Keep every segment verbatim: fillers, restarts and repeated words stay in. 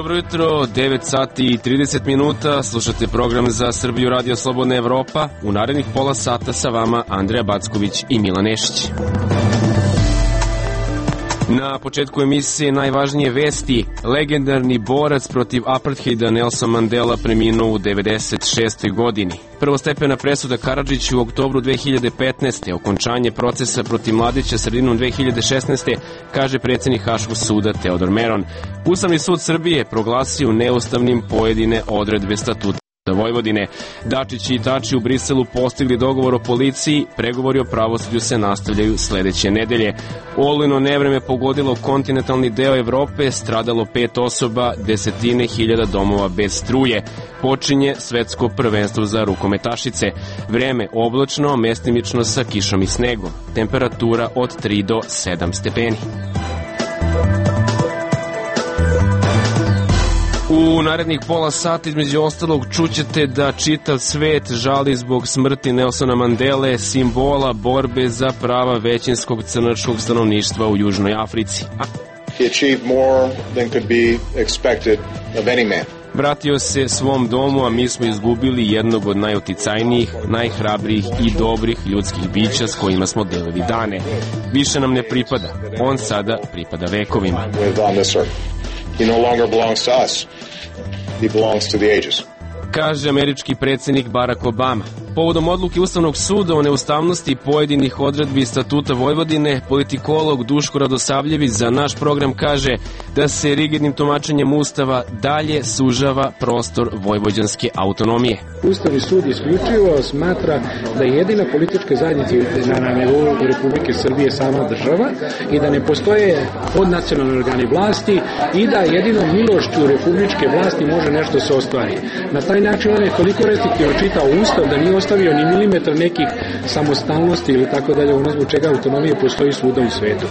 Dobro jutro, devet sati i trideset minuta, slušate program za Srbiju Radio Slobodna Evropa. U narednih pola sata sa vama Andreja Backović i Milan Nešić. Na početku emisije najvažnije vesti. Legendarni borac protiv apartheida Nelson Mandela preminuo u devedeset šestoj godini. Prvostepena presuda Karadžiću u oktobru dve hiljade petnaeste. Okončanje procesa protiv Mladića sredinom dve hiljade šesnaeste. kaže predsjednik Haškog suda Teodor Meron. Ustavni sud Srbije proglasio neustavnim pojedine odredbe statuta Vojvodine. Dačić i Tači u Briselu postigli dogovor o policiji, pregovori o pravosuđu se nastavljaju sledeće nedelje. Olujno nevreme pogodilo kontinentalni deo Evrope, stradalo pet osoba, desetine hiljada domova bez struje. Počinje svetsko prvenstvo za rukometašice. Vreme oblačno, mestimično sa kišom i snegom. Temperatura od tri do sedam stepeni. U narednih pola sata između ostalog čućete da čitav svet žali zbog smrti Nelsona Mandele, simbola borbe za prava većinskog crnačkog stanovništva u Južnoj Africi. He achieved more than could be expected of any man. Vratio se svom domu, a mi smo izgubili jednog od najuticajnijih, najhrabrijih i dobrih ljudskih bića s kojima smo delili dane. Više nam ne pripada, on sada pripada vekovima. He no longer belongs to us. He belongs to the ages. Kaže američki predsjednik Barack Obama. Povodom odluke Ustavnog suda o neustavnosti pojedinih odredbi statuta Vojvodine, politikolog Duško Radosavljević za naš program kaže da se rigidnim tumačenjem Ustava dalje sužava prostor vojvođanske autonomije. Ustavni sud isključivo smatra da je jedina politička zajednica na nivou Republike Srbije sama država i da ne postoje podnacionalni organi vlasti i da jedino milošću republičke vlasti može nešto se ostvari. Na taj način on je toliko restriktivno čitao Ustav da nije ostavio ni milimetar nekih samostalnosti ili tako dalje, ono zbog čega autonomije postoji svuda u svetu.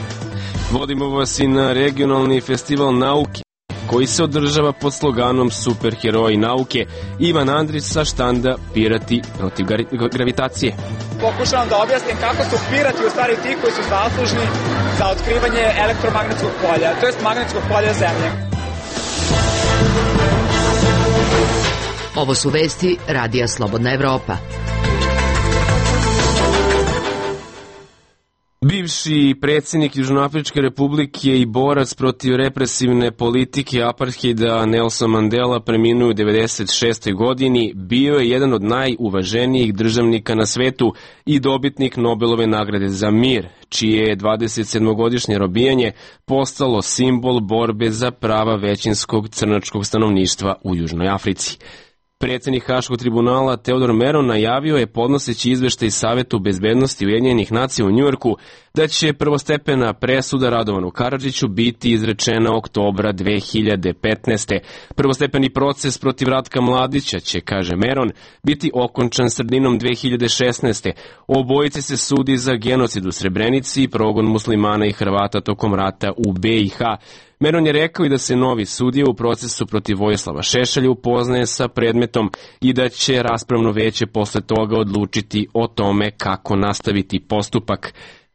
Vodimo vas i na regionalni festival nauke koji se održava pod sloganom Superheroji nauke. Ivan Andrić sa štanda Pirati protiv gravitacije. Pokušavam da objasnim kako su pirati u stvari ti koji su zaslužni za otkrivanje elektromagnetskog polja, to jest magnetskog polja Zemlje. Ovo su vesti Radija Slobodna Evropa. Bivši predsjednik Južnoafričke republike i borac protiv represivne politike apartheida Nelson Mandela preminuo u devedeset šestoj godini, bio je jedan od najuvaženijih državnika na svetu i dobitnik Nobelove nagrade za mir, čije je dvadesetsedmogodišnje robijanje postalo simbol borbe za prava većinskog crnačkog stanovništva u Južnoj Africi. Predsjednik Haškog tribunala Teodor Meron najavio je podnoseći izveštaj Savetu bezbednosti Ujedinjenih nacija u Njujorku da će prvostepena presuda Radovanu Karadžiću biti izrečena oktobra dve hiljade petnaeste. Prvostepeni proces protiv Ratka Mladića će, kaže Meron, biti okončan sredinom dve hiljade šesnaeste. Obojice se sudi za genocid u Srebrenici i progon muslimana i Hrvata tokom rata u be i ha. Meron je rekao i da se novi sudija u procesu protiv Vojislava Šešelja upoznaje sa predmetom i da će raspravno veće posle toga odlučiti o tome kako nastaviti postupak.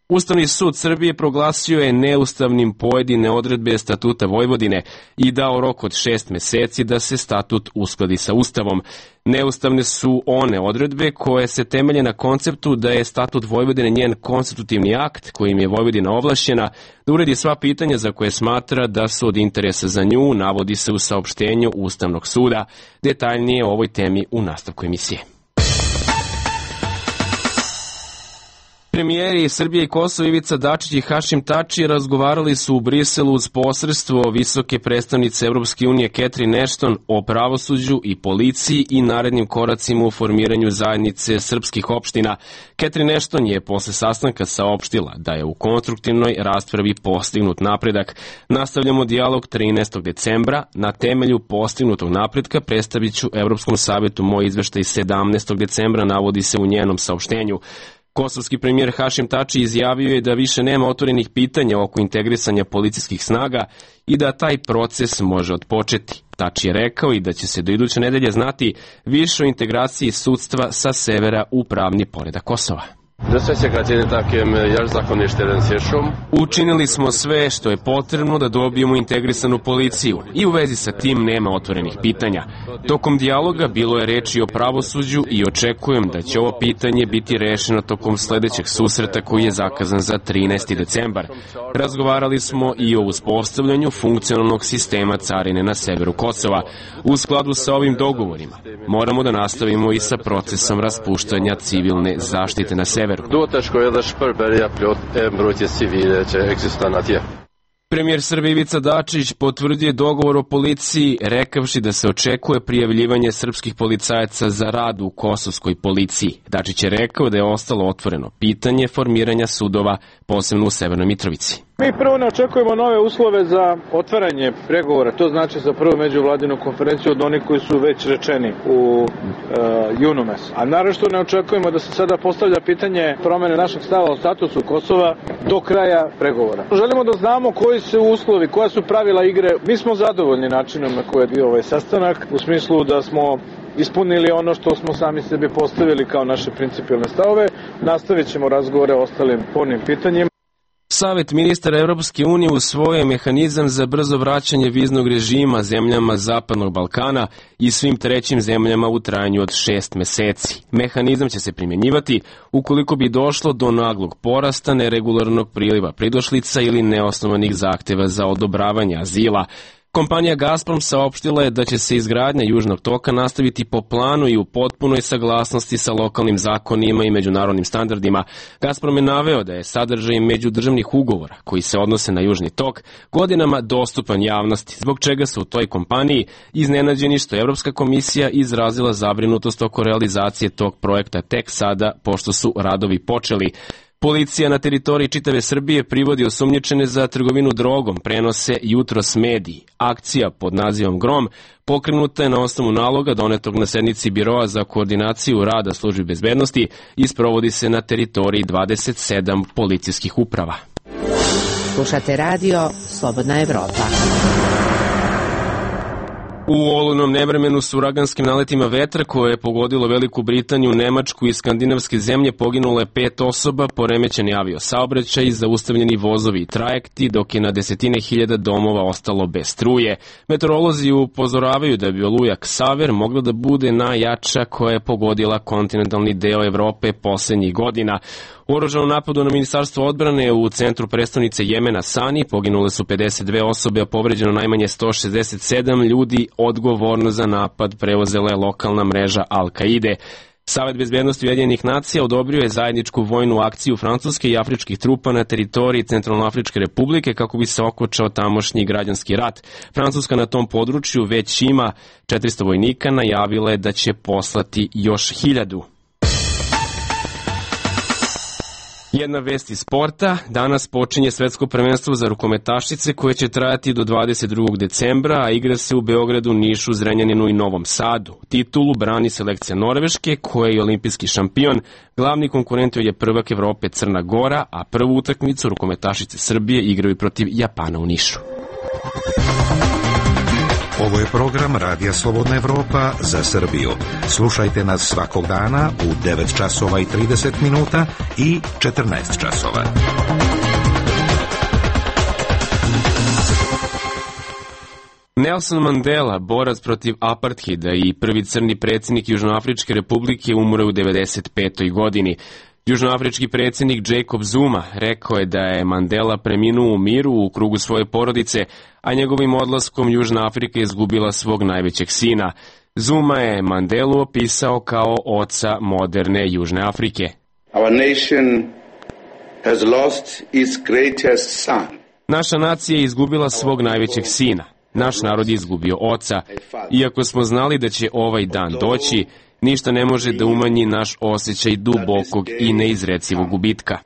Ustavni sud Srbije proglasio je neustavnim pojedine odredbe statuta Vojvodine i dao rok od šest meseci da se statut uskladi sa Ustavom. Neustavne su one odredbe koje se temelje na konceptu da je statut Vojvodine njen konstitutivni akt kojim je Vojvodina ovlašćena da uredi sva pitanja za koje smatra da su od interesa za nju, navodi se u saopštenju Ustavnog suda. Detaljnije o ovoj temi u nastavku emisije. Premijeri Srbije i Kosova Ivica Dačić i Hašim Tači razgovarali su u Briselu uz posredstvo visoke predstavnice Evropske unije Catherine Ashton o pravosuđu i policiji i narednim koracima u formiranju zajednice srpskih opština. Catherine Ashton je posle sastanka saopštila da je u konstruktivnoj raspravi postignut napredak. Nastavljamo dijalog trinaestog decembra. Na temelju postignutog napretka predstavit ću Evropskom savetu moj izveštaj sedamnaestog decembra, navodi se u njenom saopštenju. Kosovski premijer Hašim Tači izjavio je da više nema otvorenih pitanja oko integrisanja policijskih snaga i da taj proces može otpočeti. Tači je rekao i da će se do iduće nedelje znati više o integraciji sudstva sa severa u pravni poredak Kosova. Učinili smo sve što je potrebno da dobijemo integrisanu policiju i u vezi sa tim nema otvorenih pitanja. Tokom dijaloga bilo je reči o pravosuđu i očekujem da će ovo pitanje biti rešeno tokom sledećeg susreta koji je zakazan za trinaesti decembar. Razgovarali smo i o uspostavljanju funkcionalnog sistema carine na severu Kosova. U skladu sa ovim dogovorima moramo da nastavimo i sa procesom raspuštanja civilne zaštite na severu. Premijer Srbije Ivica Dačić potvrdio dogovor o policiji, rekavši da se očekuje prijavljivanje srpskih policajaca za rad u kosovskoj policiji. Dačić je rekao da je ostalo otvoreno pitanje formiranja sudova, posebno u Severnoj Mitrovici. Mi prvo ne očekujemo nove uslove za otvaranje pregovora, to znači za prvu međuvladinu konferenciju od onih koji su već rečeni u e, junu mesecu. A naravno što ne očekujemo da se sada postavlja pitanje promene našeg stava o statusu Kosova do kraja pregovora. Želimo da znamo koji su uslovi, koja su pravila igre. Mi smo zadovoljni načinom na koji je bio ovaj sastanak, u smislu da smo ispunili ono što smo sami sebi postavili kao naše principijalne stavove. Nastavit ćemo razgovore o ostalim spornim pitanjima. Savet ministara Evropske unije usvojio je mehanizam za brzo vraćanje viznog režima zemljama Zapadnog Balkana i svim trećim zemljama u trajanju od šest meseci. Mehanizam će se primjenjivati ukoliko bi došlo do naglog porasta neregularnog priliva pridošlica ili neosnovanih zahteva za odobravanje azila. Kompanija Gazprom saopštila je da će se izgradnja Južnog toka nastaviti po planu i u potpunoj saglasnosti sa lokalnim zakonima i međunarodnim standardima. Gazprom je naveo da je sadržaj međudržavnih ugovora koji se odnose na Južni tok godinama dostupan javnosti, zbog čega su u toj kompaniji iznenađeni što je Evropska komisija izrazila zabrinutost oko realizacije tog projekta tek sada, pošto su radovi počeli. Policija na teritoriji čitave Srbije privodi osumnjičene za trgovinu drogom, prenose jutros mediji. Akcija pod nazivom Grom pokrenuta je na osnovu naloga donetog na sednici Biroa za koordinaciju rada službi bezbednosti i sprovodi se na teritoriji dvadeset sedam policijskih uprava. Slušate radio Slobodna Evropa. U olujnom nevremenu s uraganskim naletima vetra koje je pogodilo Veliku Britaniju, Nemačku i skandinavske zemlje poginulo je pet osoba, poremećeni aviosaobraćaj i zaustavljeni vozovi i trajekti, dok je na desetine hiljada domova ostalo bez struje. Meteorolozi upozoravaju da bi oluja Ksaver mogla da bude najjača koja je pogodila kontinentalni deo Evrope poslednjih godina. U oružanom napadu na Ministarstvo odbrane u centru prestonice Jemena Sani poginule su pedeset dve osobe, a povređeno najmanje sto šezdeset sedam ljudi. Odgovorno za napad preuzela je lokalna mreža Al-Kaide. Savet bezbednosti Ujedinjenih nacija odobrio je zajedničku vojnu akciju francuske i afričkih trupa na teritoriji Centralnoafričke republike kako bi se okončao tamošnji građanski rat. Francuska na tom području već ima četiristo vojnika, najavila je da će poslati još hiljadu. Jedna vest iz sporta. Danas počinje svetsko prvenstvo za rukometašice koje će trajati do dvadeset drugog decembra, a igra se u Beogradu, Nišu, Zrenjaninu i Novom Sadu. Titulu brani selekcija Norveške, koja je olimpijski šampion. Glavni konkurent je prvak Evrope Crna Gora, a prvu utakmicu rukometašice Srbije igraju protiv Japana u Nišu. Ovo je program Radija Slobodna Evropa za Srbiju. Slušajte nas svakog dana u devet časova i trideset minuta i četrnaest časova. Nelson Mandela, borac protiv apartheida i prvi crni predsjednik Južnoafričke republike, umre u devedeset petoj godini. Južnoafrički predsjednik Jacob Zuma rekao je da je Mandela preminuo u miru u krugu svoje porodice, a njegovim odlaskom Južna Afrika izgubila svog najvećeg sina. Zuma je Mandelu opisao kao oca moderne Južne Afrike. Our nation has lost its greatest son. Naša nacija je izgubila svog najvećeg sina. Naš narod je izgubio oca. Iako smo znali da će ovaj dan doći, ništa ne može da umanji naš osjećaj dubokog i neizrecivog gubitka.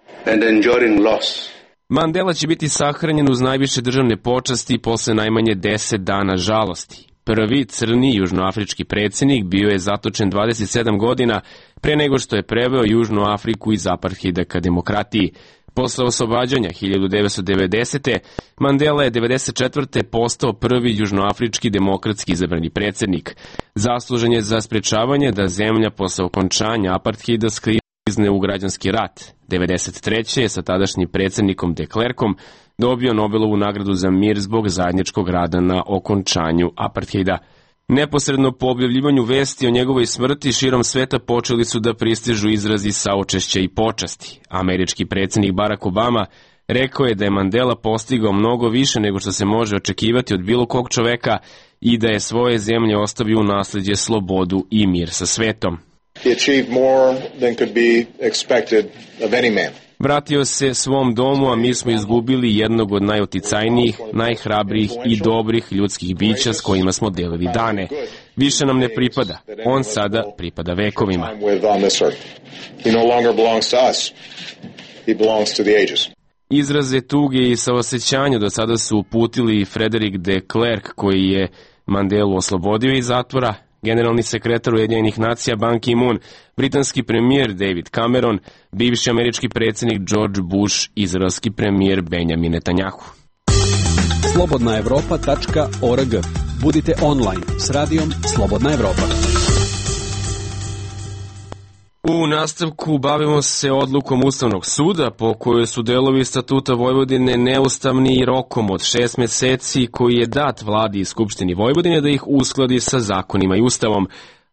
Mandela će biti sahranjen uz najviše državne počasti posle najmanje deset dana žalosti. Prvi crni južnoafrički predsjednik bio je zatočen dvadeset sedam godina pre nego što je preveo Južnu Afriku iz apartheida ka demokratiji. Posle oslobađanja hiljadu devetsto devedesete. Mandela je devedeset četvrte postao prvi južnoafrički demokratski izabrani predsjednik. Zaslužen je za sprečavanje da zemlja posle okončanja apartheida skriva uskizne u građanski rat. devedeset treće je sa tadašnjim predsjednikom de Klerkom dobio Nobelovu nagradu za mir zbog zajedničkog rada na okončanju apartheida. Neposredno po objavljivanju vesti o njegovoj smrti širom sveta počeli su da pristižu izrazi saučešća i počasti. Američki predsjednik Barack Obama rekao je da je Mandela postigao mnogo više nego što se može očekivati od bilo kog čoveka i da je svoje zemlje ostavio u nasljeđe slobodu i mir sa svetom. He achieved more than could be expected of any man. Vratio se svom domu, a mi smo izgubili jednog od najuticajnijih, najhrabrijih i dobrih ljudskih bića s kojima smo delili dane. Više nam ne pripada. On sada pripada vekovima. He no longer belongs to us. He belongs to the ages. Izraze tuge i saosećanja do sada su uputili Frederick de Klerk, koji je Mandelu oslobodio iz zatvora, generalni sekretar Ujedinjenih nacija Ban Ki-moon, britanski premijer David Cameron, bivši američki predsjednik George Bush, izraelski premijer Benjamin Netanjahu. slobodna evropa tačka org. Budite online s radijom Slobodna Evropa. U nastavku bavimo se odlukom Ustavnog suda po kojoj su delovi Statuta Vojvodine neustavni i rokom od šest meseci koji je dat vladi i Skupštini Vojvodine da ih uskladi sa zakonima i Ustavom.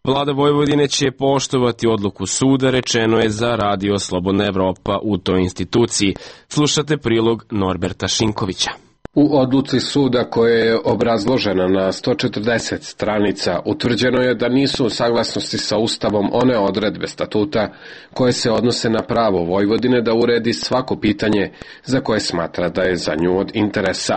Vlada Vojvodine će poštovati odluku suda, rečeno je za radio Slobodna Evropa u toj instituciji. Slušate prilog Norberta Šinkovića. U odluci suda koja je obrazložena na sto četrdeset stranica utvrđeno je da nisu u saglasnosti sa Ustavom one odredbe statuta koje se odnose na pravo Vojvodine da uredi svako pitanje za koje smatra da je za nju od interesa.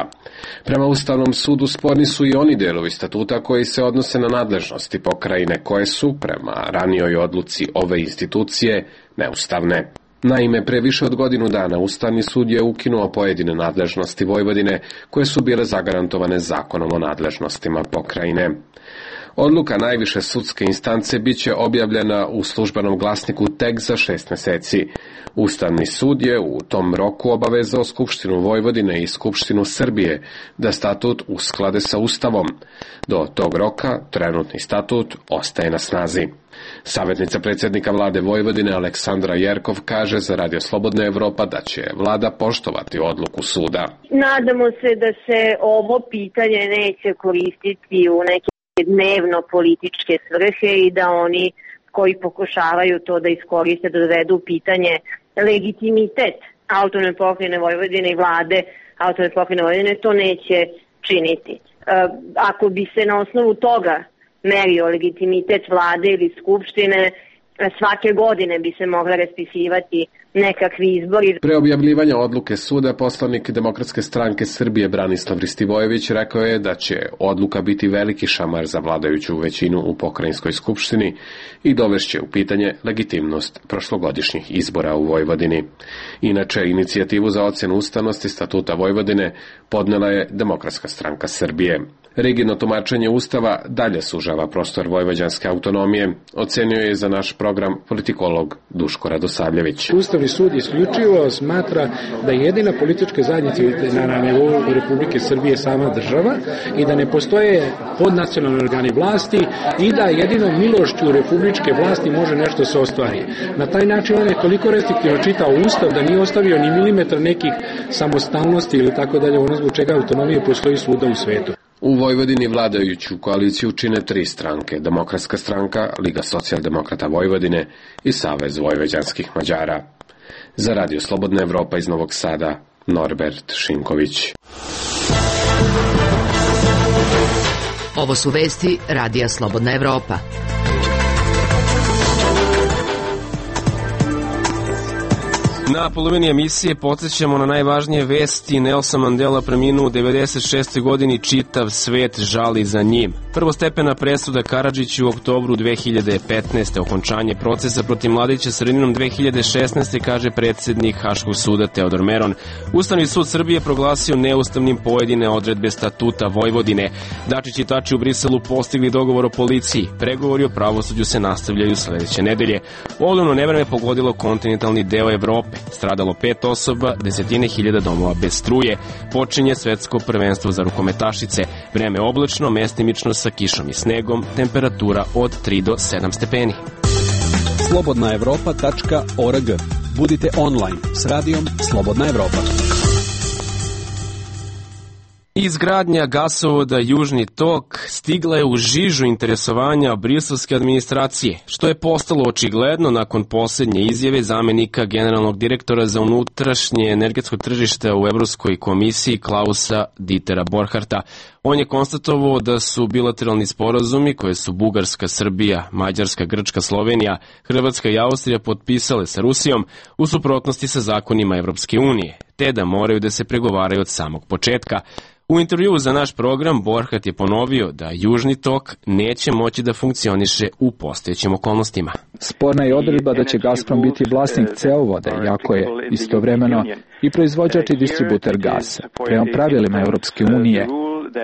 Prema Ustavnom sudu sporni su i oni delovi statuta koji se odnose na nadležnosti pokrajine koje su, prema ranijoj odluci ove institucije, neustavne. Naime, pre više od godinu dana Ustavni sud je ukinuo pojedine nadležnosti Vojvodine koje su bile zagarantovane zakonom o nadležnostima pokrajine. Odluka najviše sudske instance biće objavljena u službenom glasniku tek za šest meseci. Ustavni sud je u tom roku obavezao Skupštinu Vojvodine i Skupštinu Srbije da statut usklade sa Ustavom. Do tog roka trenutni statut ostaje na snazi. Savjetnica predsjednika vlade Vojvodine Aleksandra Jerkov kaže za Radio Slobodna Evropa da će vlada poštovati odluku suda. Nadamo se da se ovo pitanje neće koristiti u neke dnevno političke svrhe i da oni koji pokušavaju to da iskoriste, da dovedu pitanje legitimitet autonomne pokrajine Vojvodine i vlade autonomne pokrajine Vojvodine, to neće činiti. Ako bi se na osnovu toga merio legitimitet vlade ili skupštine, svake godine bi se mogla raspisivati nekakvi izbori. Pre objavljivanja odluke suda, poslanik Demokratske stranke Srbije Branislav Ristivojević rekao je da će odluka biti veliki šamar za vladajuću većinu u pokrajinskoj skupštini i dovešće u pitanje legitimnost prošlogodišnjih izbora u Vojvodini. Inače, inicijativu za ocjenu ustavnosti Statuta Vojvodine podnela je Demokratska stranka Srbije. Rigidno tumačenje Ustava dalje sužava prostor vojvođanske autonomije, ocenio je za naš program politikolog Duško Radosavljević. Ustavni sud isključivo smatra da je jedina politička zajednica na nivou Republike Srbije sama država i da ne postoje podnacionalni organi vlasti i da jedino milošću republičke vlasti može nešto se ostvari. Na taj način on je toliko restriktivno čitao Ustav da nije ostavio ni milimetar nekih samostalnosti ili tako dalje, ono zbog čega autonomije postoji svuda u svetu. U Vojvodini vladajuću koaliciju čine tri stranke, Demokratska stranka, Liga socijaldemokrata Vojvodine i Savez vojvođanskih Mađara. Za Radio Slobodna Evropa iz Novog Sada, Norbert Šinković. Ovo su vesti Radija Slobodna Evropa. Na polovini emisije podsjećamo na najvažnije vesti. Nelson Mandela preminuo u devedeset šestoj godini, čitav svet žali za njim. Prvostepena presuda Karadžiću u oktobru dve hiljade petnaeste. Okončanje procesa protiv Mladića sredinom dve hiljade šesnaeste. kaže predsjednik Haškog suda Teodor Meron. Ustavni sud Srbije proglasio neustavnim pojedine odredbe Statuta Vojvodine. Dačić i Tači u Briselu postigli dogovor o policiji. Pregovori o pravosuđu se nastavljaju sledeće nedelje. Olujno nevreme pogodilo kontinentalni deo Evrope. Stradalo pet osoba, desetine hiljada domova bez struje. Počinje svetsko prvenstvo za rukometašice. Vreme oblačno, mestimično sa kišom i snegom, temperatura od tri do sedam stepeni. slobodna evropa tačka org. Budite online s radijom Slobodna Evropa. Izgradnja gasovoda Južni tok stigla je u žižu interesovanja briselske administracije, što je postalo očigledno nakon posljednje izjave zamenika generalnog direktora za unutrašnje energetsko tržište u Evropskoj komisiji Klausa Dietera Borcharta. On je konstatovao da su bilateralni sporazumi koje su Bugarska, Srbija, Mađarska, Grčka, Slovenija, Hrvatska i Austrija potpisale sa Rusijom u suprotnosti sa zakonima Evropske unije, te da moraju da se pregovaraju od samog početka. U intervjuu za naš program Borchardt je ponovio da Južni tok neće moći da funkcioniše u postojećim okolnostima. Sporna je odredba da će Gazprom biti vlasnik cevovoda, iako je istovremeno i proizvođač i distributer gasa. Prema pravilima Evropske unije,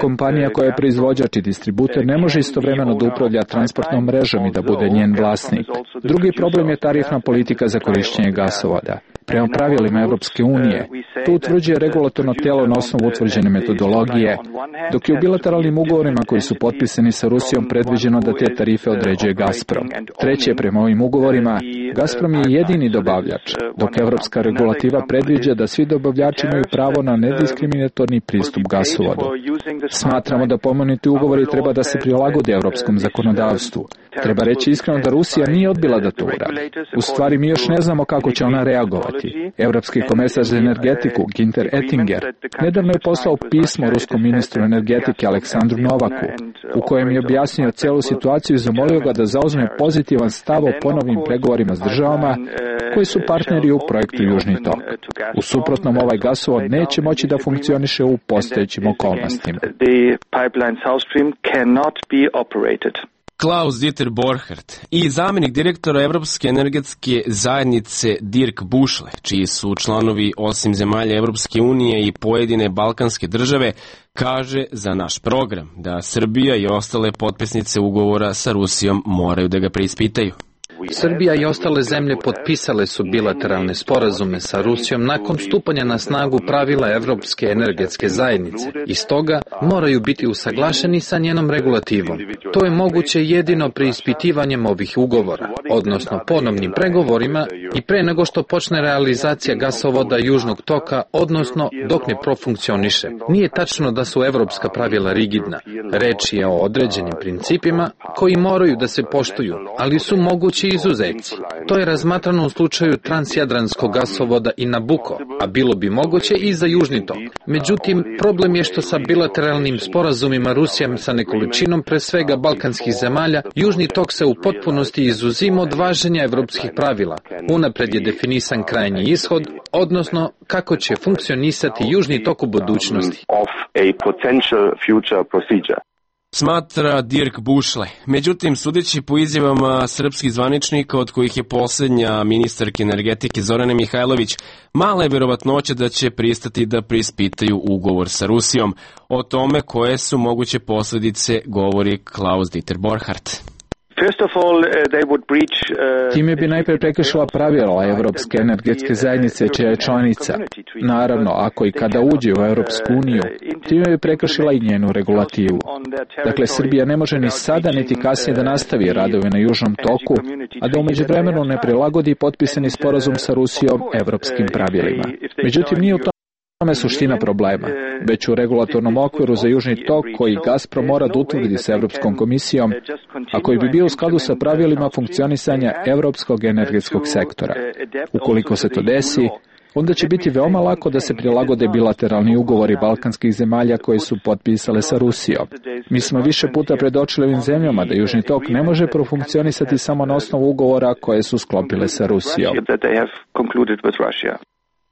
kompanija koja je proizvođač i distributer ne može istovremeno da upravlja transportnom mrežom i da bude njen vlasnik. Drugi problem je tarifna politika za korišćenje gasovoda. Prema pravilima Evropske unije, to utvrđuje regulatorno telo na osnovu utvrđene metodologije, dok je u bilateralnim ugovorima koji su potpisani sa Rusijom predviđeno da te tarife određuje Gazprom. Treće, prema ovim ugovorima, Gazprom je jedini dobavljač, dok evropska regulativa predviđa da svi dobavljači imaju pravo na nediskriminatorni pristup gasovodu. Smatramo da pomenuti ugovori treba da se prilagode evropskom zakonodavstvu. Treba reći iskreno da Rusija nije odbila da to uradi. U stvari mi još ne znamo kako će ona reagovati. Evropski komesar za energetiku, Günther Oettinger, nedavno je poslao pismo ruskom ministru energetike Aleksandru Novaku, u kojem je objasnio celu situaciju i zamolio ga da zauzme pozitivan stav o ponovnim pregovorima s državama koji su partneri u projektu Južni tok. U suprotnom, ovaj gasovod neće moći da funkcioniše u postojećim okolnostima. Klaus Dieter Borchardt i zamenik direktora Evropske energetske zajednice Dirk Bušle, čiji su članovi osim zemalja Evropske unije i pojedine balkanske države, kaže za naš program da Srbija i ostale potpisnice ugovora sa Rusijom moraju da ga preispitaju. Srbija i ostale zemlje potpisale su bilateralne sporazume sa Rusijom nakon stupanja na snagu pravila Evropske energetske zajednice i stoga moraju biti usaglašeni sa njenom regulativom. To je moguće jedino preispitivanjem ovih ugovora, odnosno ponovnim pregovorima i pre nego što počne realizacija gasovoda Južnog toka, odnosno dok ne profunkcioniše. Nije tačno da su evropska pravila rigidna. Reč je o određenim principima koji moraju da se poštuju, ali su mogući izuzeci. To je razmatrano u slučaju transjadranskog gasovoda i Nabucco, a bilo bi moguće i za Južni tok. Međutim, problem je što sa bilateralnim sporazumima Rusija sa nekoličinom pre svega balkanskih zemalja, Južni tok se u potpunosti izuzima od važenja evropskih pravila. Unapred je definisan krajnji ishod, odnosno kako će funkcionisati Južni tok u budućnosti. Smatra Dirk Bušle. Međutim, sudeći po izjavama srpskih zvaničnika, od kojih je posljednja ministarka energetike Zorana Mihajlović, mala je verovatnoća da će pristati da preispitaju ugovor sa Rusijom. O tome koje su moguće posljedice govori Klaus Dieter Borchardt. Time bi najprej prekršila pravila Evropske energetske zajednice čija je članica. Naravno, ako i kada uđe u Evropsku uniju, time bi prekršila i njenu regulativu. Dakle, Srbija ne može ni sada niti kasnije da nastavi radove na Južnom toku, a da umeđu vremenu ne prilagodi potpisani sporazum sa Rusijom evropskim pravilima. Međutim, nije u tome suština problema, već u regulatornom okviru za Južni tok koji Gazprom mora da utvrdi sa Evropskom komisijom, a koji bi bio u skladu sa pravilima funkcionisanja evropskog energetskog sektora. Ukoliko se to desi, onda će biti veoma lako da se prilagode bilateralni ugovori balkanskih zemalja koje su potpisale sa Rusijom. Mi smo više puta predočili ovim zemljama da Južni tok ne može profunkcionisati samo na osnovu ugovora koje su sklopile sa Rusijom.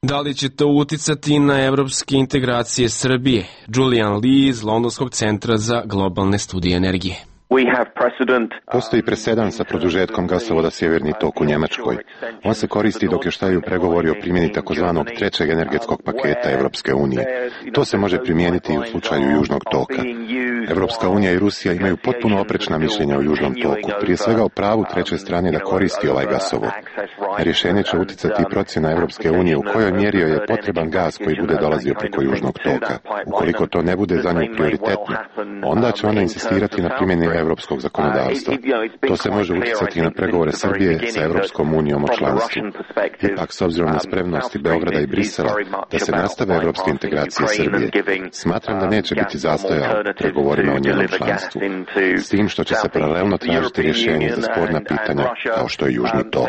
Da li će to uticati na evropske integracije Srbije? Julian Lee iz Londonskog centra za globalne studije energije. Postoji presedan sa produžetkom gasovoda Sjeverni tok u Njemačkoj. On se koristi dok još traju pregovori o primjeni takozvanog trećeg energetskog paketa Evropske unije. To se može primijeniti i u slučaju Južnog toka. Evropska unija i Rusija imaju potpuno oprečna mišljenja o Južnom toku, prije svega o pravu treće strane da koristi ovaj gasovod. Na rješenje će uticati i procjena Evropske unije u kojoj mjeri joj je potreban gas koji bude dolazio preko Južnog toka. Ukoliko to ne bude za nju prioritetno, onda će ona insistirati na primjeni evropskog zakonodavstva. To se može utjecati na pregovore Srbije sa Evropskom unijom o članstvu. Ipak, s obzirom na spremnosti Beograda i Brisela da se nastave evropske integracije Srbije, smatram da neće biti zastoja u pregovorima o njenom članstvu, s tim što će se paralelno tražiti rješenje za sporna pitanja kao što je Južni tok.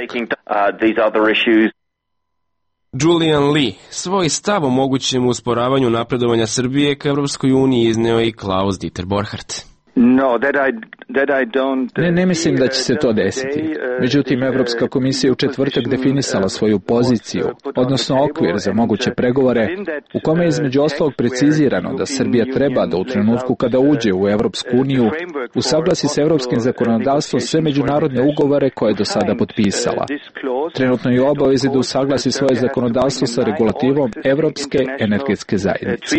Julian Lee svoj stav o mogućem usporavanju napredovanja Srbije ka Evropskoj uniji izneo i Klaus Dieter Borchardt. Ne, ne mislim da će se to desiti. Međutim, Evropska komisija u četvrtak definisala svoju poziciju, odnosno okvir za moguće pregovore, u kome je između ostalog precizirano da Srbija treba da u trenutku kada uđe u Evropsku uniju usaglasi sa evropskim zakonodavstvom sve međunarodne ugovore koje je do sada potpisala. Trenutno je u obavezi da usaglasi svoje zakonodavstvo sa regulativom Evropske energetske zajednice.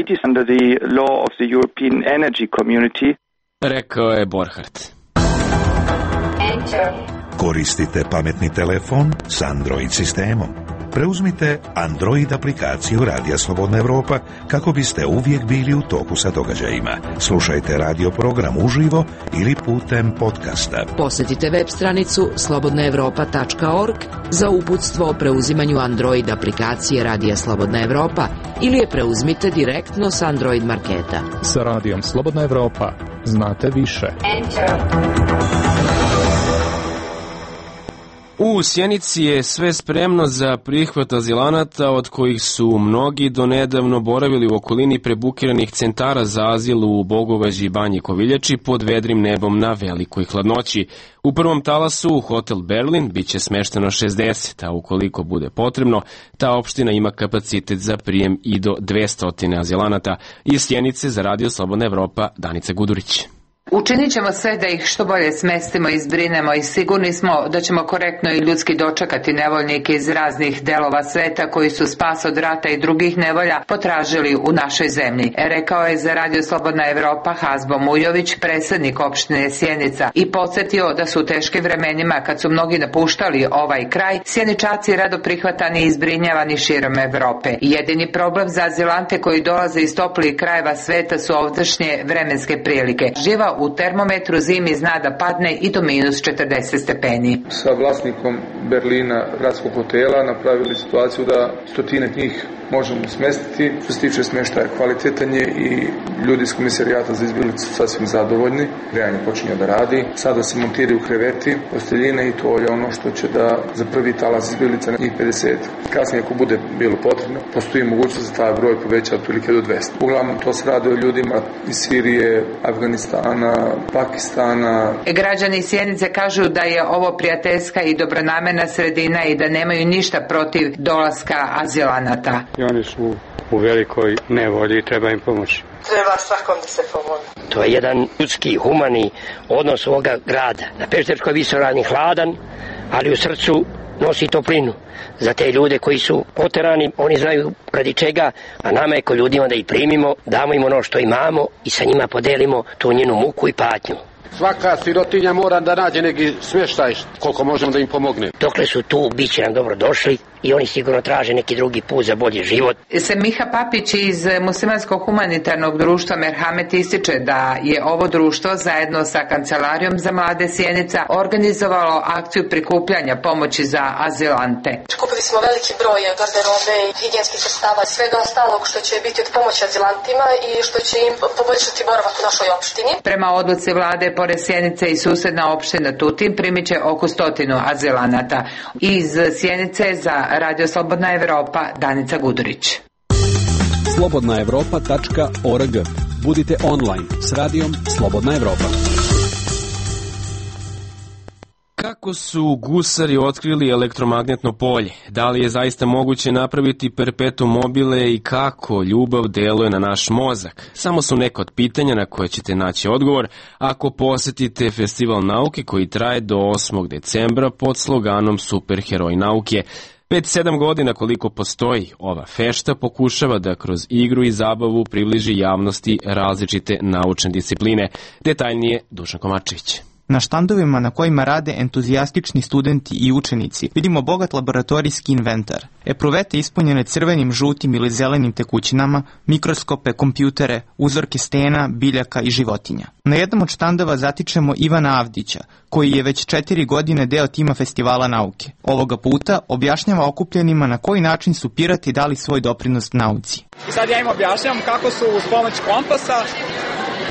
Rekao je Borchardt. Koristite pametni telefon s Android sistemom. Preuzmite Android aplikaciju Radija Slobodna Evropa kako biste uvijek bili u toku sa događajima. Slušajte radio program uživo ili putem podcasta. Posjetite web stranicu slobodna evropa tačka org za uputstvo o preuzimanju Android aplikacije Radija Slobodna Evropa ili je preuzmite direktno s Android marketa. Sa Radijom Slobodna Evropa znate više. U Sjenici je sve spremno za prihvat azilanata, od kojih su mnogi donedavno boravili u okolini prebukiranih centara za azil u Bogovađi i Banji Koviljači pod vedrim nebom na velikoj hladnoći. U prvom talasu u hotel Berlin biće smešteno šezdeset, a ukoliko bude potrebno, ta opština ima kapacitet za prijem i do dvesta azilanata. Iz Sjenice za Radio Slobodna Evropa, Danica Gudurić. Učinit ćemo sve da ih što bolje smestimo i zbrinemo i sigurni smo da ćemo korektno i ljudski dočekati nevoljnike iz raznih delova sveta koji su spas od rata i drugih nevolja potražili u našoj zemlji. Rekao je za Radio Slobodna Evropa Hazbo Mujović, predsjednik opštine Sjenica, i podsjetio da su u teškim vremenima kad su mnogi napuštali ovaj kraj, Sjeničaci rado prihvatani i zbrinjavani širom Evrope. Jedini problem za azilante koji dolaze iz toplijih krajeva sveta su ovdašnje vremenske prilike. Živa u termometru zimi zna da padne i do minus četrdeset stepeni. Sa vlasnikom Berlina gradskog hotela napravili situaciju da stotine njih možemo smestiti. Što se tiče smještaja, kvalitetan je i ljudi iz komisarijata za izbjeglice su sasvim zadovoljni. Grejanje počinje da radi. Sada se montiraju kreveti, posteljine i to je ono što će da za prvi talas izbjeglica na njih pedeset. Kasnije, ako bude bilo potrebno, postoji mogućnost da taj broj poveća otprilike do dvesta. Uglavnom to se radi o ljudima iz Sirije, Afganistana, Pakistana. Građani Sjenice kažu da je ovo prijateljska i dobronamjerna sredina i da nemaju ništa protiv dolaska azilanata. I oni su u velikoj nevolji i treba im pomoći. Treba svakom da se pomoći. To je jedan ljudski, humani odnos ovoga grada. Na Pešterskoj visoravni hladan, ali u srcu nosi toplinu. Za te ljude koji su poterani, oni znaju radi čega, a nama je ko ljudima da ih primimo, damo im ono što imamo i sa njima podelimo tu njenu muku i patnju. Svaka sirotinja mora da nađe neki smještaj koliko možemo da im pomogne. Dokle su tu, bit će nam dobro došli i oni sigurno traže neki drugi put za bolji život. Semiha Papić iz Muslimanskog humanitarnog društva Merhamet ističe da je ovo društvo zajedno sa Kancelarijom za mlade Sjenica organizovalo akciju prikupljanja pomoći za azilante. Kupili smo veliki broj garderobe, higijenskih sredstava i svega ostalog što će biti od pomoći azilantima i što će im poboljšati boravak u našoj opštini. Prema odluci vlade, pored Sjenice i susedna opština Tutin primit će oko stotinu azilanata. Iz Sjenice za Radio Slobodna Evropa, Danica Gudurić. slobodna evropa tačka org. Budite online s radijom Slobodna Evropa. Kako su gusari otkrili elektromagnetno polje? Da li je zaista moguće napraviti perpetuum mobile i kako ljubav deluje na naš mozak? Samo su neka od pitanja na koje ćete naći odgovor ako posjetite Festival nauke koji traje do osmog decembra pod sloganom Superheroj nauke. Pet sedam godina koliko postoji ova fešta pokušava da kroz igru i zabavu približi javnosti različite naučne discipline. Detaljnije Dušan Komačević. Na štandovima na kojima rade entuzijastični studenti i učenici vidimo bogat laboratorijski inventar. Epruvete ispunjene crvenim, žutim ili zelenim tekućinama, mikroskope, kompjutere, uzorke stena, biljaka i životinja. Na jednom od štandova zatičemo Ivana Avdića, koji je već četiri godine deo tima Festivala nauke. Ovoga puta objašnjava okupljenima na koji način su pirati dali svoj doprinos nauci. I sad ja im objašnjavam kako su uz pomoć kompasa,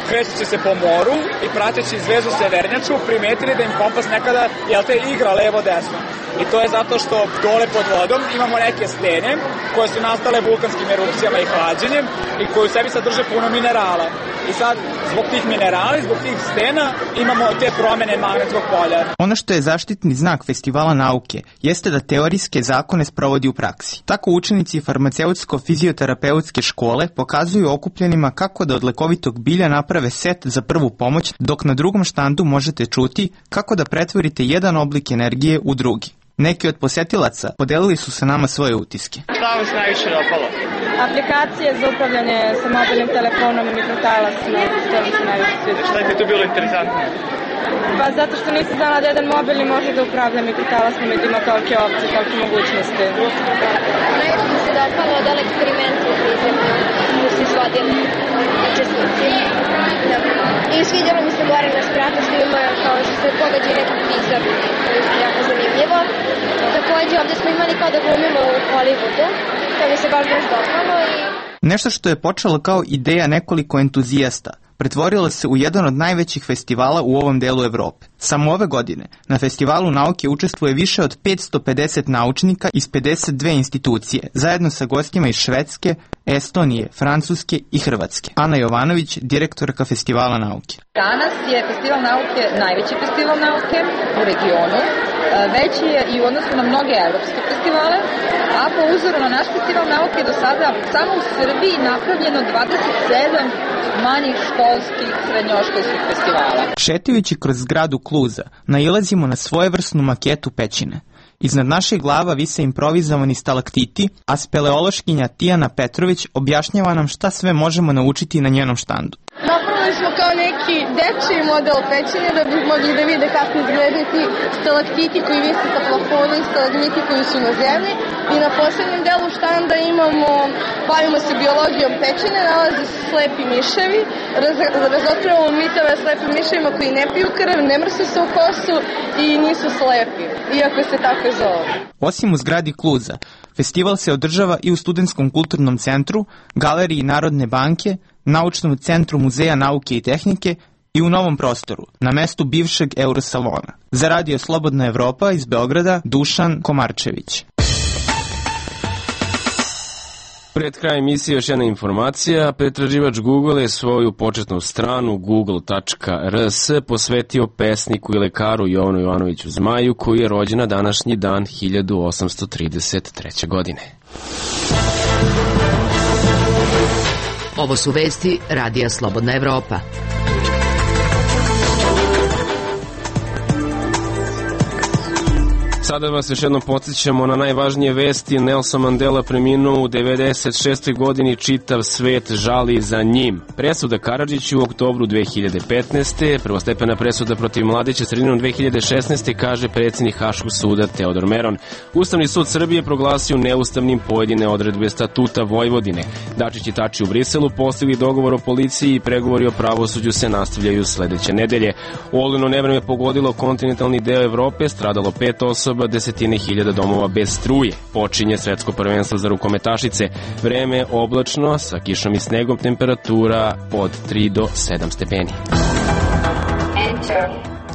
krećući se po moru i prateći zvezdu severnjaču, primetili da im kompas nekada, jel te, igra levo-desno. I to je zato što dole pod vodom imamo neke stene koje su nastale vulkanskim erupcijama i hlađenjem i koje u sebi sadrže puno minerala. I sad, zbog tih minerala i zbog tih stena imamo te promene magnetskog polja. Ono što je zaštitni znak Festivala nauke jeste da teorijske zakone sprovodi u praksi. Tako učenici farmaceutsko-fizioterapeutske škole pokazuju okupljenima kako da od lekovitog bilja naprave set za prvu pomoć, dok na drugom štandu možete čuti kako da pretvorite jedan oblik energije u drugi. Neki od posetilaca podelili su sa nama svoje utiske. Šta vam se najviše dopalo? Aplikacije za upravljanje sa mobilnim telefonom i mikrotalasima, što mi se najviše sviđa. Šta je ti tu bilo interesantno? Pa zato što nisam znala da jedan mobilni može da upravlja mikrotalasima i da ima tolike opcije, tolike mogućnosti. Najviše mi se dopalo od ovog eksperimenta u prizemlju koji su izvodili učesnici. I svidjelo mi se gore na spratu što ima kao što se pogađa neki prizor, to je jako zanimljivo. Takođe ovde smo imali kao da glumimo u Hollywoodu, to mi se baš baš dopalo. I... Nešto što je počelo kao ideja nekoliko entuzijasta, pretvorilo se u jedan od najvećih festivala u ovom delu Evrope. Samo ove godine na Festivalu nauke učestvuje više od petsto pedeset naučnika iz pedeset dve institucije, zajedno sa gostima iz Švedske, Estonije, Francuske i Hrvatske. Ana Jovanović, direktorka Festivala nauke. Danas je Festival nauke najveći festival nauke u regionu, veći je i u odnosu na mnoge evropske festivale, a po uzoru na naš Festival nauke do sada samo u Srbiji napravljeno dvadeset sedam manjih školskih srednjoškolskih festivala. Šetajući kroz zgradu Kluza, nailazimo na svojevrsnu maketu pećine. Iznad naših glava vise improvizovani stalaktiti, a speleološkinja Tijana Petrović objašnjava nam šta sve možemo naučiti na njenom štandu. Napravili smo kao neki dečiji model pećine da bi mogli da vide kako izgledaju ti stalaktiti koji vise sa plafona i stalagmiti koji su na zemlji. I na poslednjem delu štanda imamo, bavimo se biologijom pećine, nalaze se slepi miševi, raz, razotkrivamo mitove o slepim miševima koji ne piju krv, ne mrsu se u kosu i nisu slepi, iako se tako zove. Osim u zgradi Kluza, festival se održava i u Studentskom kulturnom centru, Galeriji Narodne banke, Naučnom centru Muzeja nauke i tehnike i u novom prostoru, na mestu bivšeg Eurosalona. Za Radio Slobodna Evropa iz Beograda, Dušan Komarčević. Pred kraj emisije još jedna informacija. Pretraživač Google je svoju početnu stranu google tačka r s posvetio pesniku i lekaru Jovanu Jovanoviću Zmaju, koji je rođen na današnji dan hiljadu osamsto trideset treće. godine. Ovo su vesti Radija Slobodna Evropa. Sada vas još jednom podsjećamo na najvažnije vesti. Nelson Mandela preminuo u devedeset šestoj. godini, čitav svet žali za njim. Presuda Karadžiću u oktobru dve hiljade petnaeste. Prvostepena presuda protiv Mladića sredinom dve hiljade šesnaeste. kaže predsjednik Haškog suda Teodor Meron. Ustavni sud Srbije proglasio neustavnim pojedine odredbe statuta Vojvodine. Dačić i Tači u Briselu postigli dogovor o policiji i pregovori o pravosuđu se nastavljaju sledeće nedelje. Olujno nevreme pogodilo kontinentalni deo Evrope, stradalo pet osoba, desetine hiljada domova bez struje. Počinje svetsko prvenstvo za rukometašice. Vreme oblačno, sa kišom i snegom, temperatura od tri do sedam stepeni.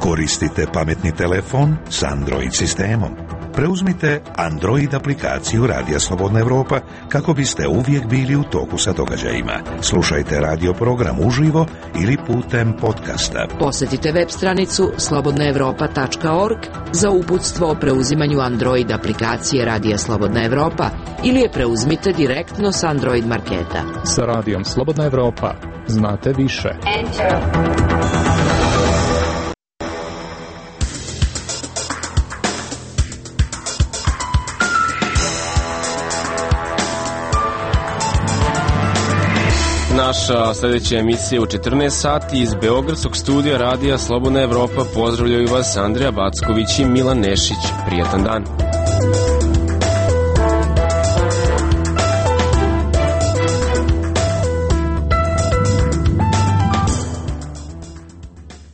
Koristite pametni telefon s Android sistemom. Preuzmite Android aplikaciju Radija Slobodna Evropa kako biste uvijek bili u toku sa događajima. Slušajte radio program uživo ili putem podcasta. Posetite web stranicu slobodna evropa tačka org za uputstvo o preuzimanju Android aplikacije Radija Slobodna Evropa ili je preuzmite direktno s Android marketa. Sa Radijom Slobodna Evropa znate više. Enter. Na naša sljedeća emisija u četrnaest sati. Iz Beogradskog studija Radija Slobodna Evropa pozdravljaju vas Andreja Backović i Milan Nešić. Prijatan dan.